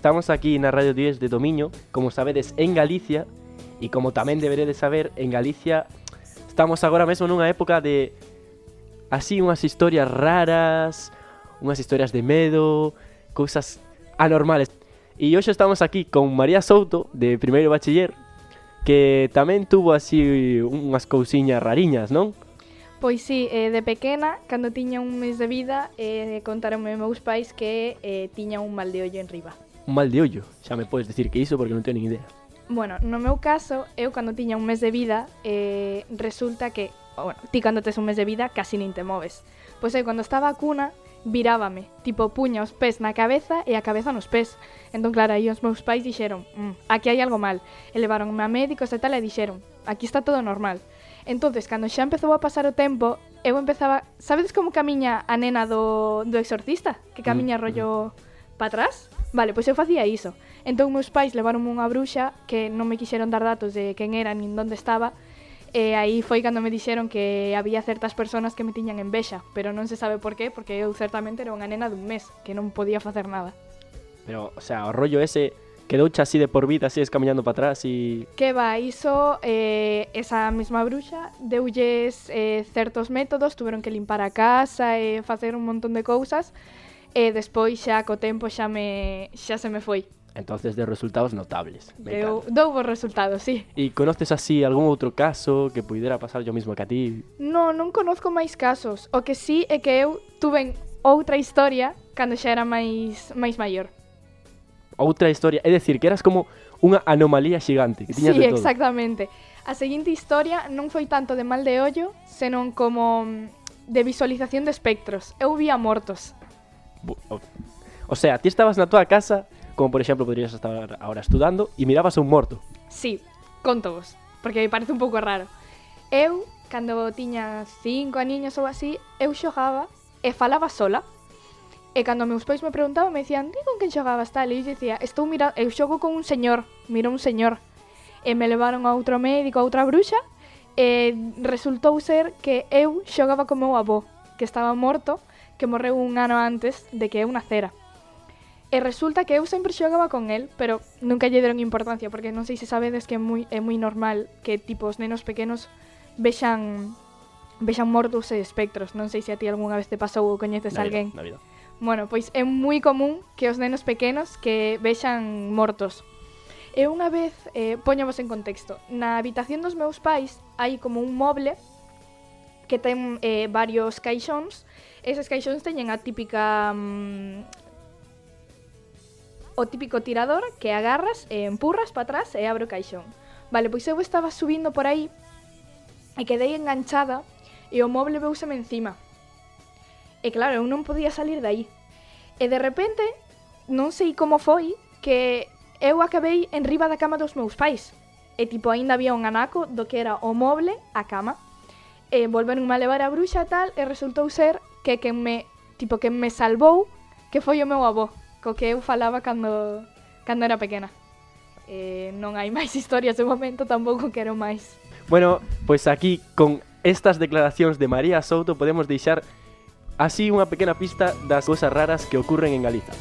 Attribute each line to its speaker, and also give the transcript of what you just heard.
Speaker 1: Estamos aquí na Radio 10 de Domiño, como sabedes, en Galicia, e como tamén deberedes saber, en Galicia estamos agora mesmo nunha época de así unhas historias raras, unhas historias de medo, cousas anormales. E hoxe estamos aquí con María Souto, de primeiro bachiller, que tamén tuvo así unhas cousiñas rariñas, non?
Speaker 2: Pois sí, de pequena, cando tiña un mes de vida, contaronme meus pais que tiña un mal de ollo en riba.
Speaker 1: Un mal de ollo, xa me podes decir que iso porque non teño nin idea.
Speaker 2: Bueno, no meu caso, eu cando tiña un mes de vida, resulta que, bueno, ti cando tes un mes de vida casi nin te moves. Pois eu cando estaba a cuna, virábame, tipo puña os pés na cabeza e a cabeza nos pés. Entón, claro, aí os meus pais dixeron, aquí hai algo mal. E levaronme a médicos e tal e dixeron, aquí está todo normal. Entonces, cando xa empezou a pasar o tempo, eu empezaba... Sabedes como camiña a nena do exorcista? Que camiña rollo pa atrás? Vale, pois eu facía iso. Entón, meus pais levaronme unha bruxa que non me quixeron dar datos de quen era nin onde estaba. E aí foi cando me dixeron que había certas persoas que me tiñan envexa. Pero non se sabe por qué, porque eu certamente era unha nena dun mes, que non podía facer nada.
Speaker 1: Pero, o sea, o rollo ese... Quedouche así de por vida, así camiñando para atrás e...
Speaker 2: Que va, iso, esa mesma bruxa deulles certos métodos, tuveron que limpar a casa e facer un montón de cousas, e despois xa co tempo xa se me foi.
Speaker 1: Entonces de resultados notables.
Speaker 2: Dou bons resultados, sí.
Speaker 1: E conoces así algún outro caso que puidera pasar yo mismo que a ti?
Speaker 2: Non conozco máis casos, o que sí é que eu tuve outra historia cando xa era máis maior.
Speaker 1: Outra historia, é dicir, que eras como unha anomalía xigante, que tiñas
Speaker 2: sí,
Speaker 1: de todo.
Speaker 2: Exactamente. A seguinte historia non foi tanto de mal de ollo, senón como de visualización de espectros. Eu vía mortos.
Speaker 1: O sea, ti estabas na tua casa, como por exemplo podrías estar ahora estudando, e mirabas a un morto.
Speaker 2: Sí, contovos, porque me parece un pouco raro. Eu, cando tiña 5 aniños ou así, eu xogaba e falaba sola. E cando meus pais me preguntaban, me dicían, con quen xogabas tal? E eu dicía, eu xogo con un señor, miro un señor. E me levaron a outro médico, a outra bruxa, e resultou ser que eu xogaba con meu avó, que estaba morto, que morreu un ano antes de que eu nacera. E resulta que eu sempre xogaba con el, pero nunca lle deron importancia, porque non sei se sabedes que é moi normal que tipo os nenos pequenos vexan mortos e espectros. Non sei se a ti algunha vez te pasou ou coñeces alguén.
Speaker 1: Na vida.
Speaker 2: Bueno, pois é moi común que os nenos pequenos que vexan mortos. E unha vez, poñamos en contexto, na habitación dos meus pais hai como un moble que ten varios caixóns. Eses caixóns teñen a típica... o típico tirador que agarras e empurras para atrás e abre o caixón. Vale, pois eu estaba subindo por aí e quedei enganchada e o moble veuseme encima. E claro, eu non podía salir de aí. E de repente, non sei como foi, que eu acabei en riba da cama dos meus pais. E tipo, aínda había un anaco do que era o moble a cama. E volveronme a levar a bruxa tal, e resultou ser que quen me salvou, que foi o meu avó, co que eu falaba cando era pequena. Non hai máis historias de momento, tampouco quero máis.
Speaker 1: Bueno, pois aquí, con estas declaracións de María Souto, podemos deixar así unha pequena pista das cousas raras que ocurren en Galiza.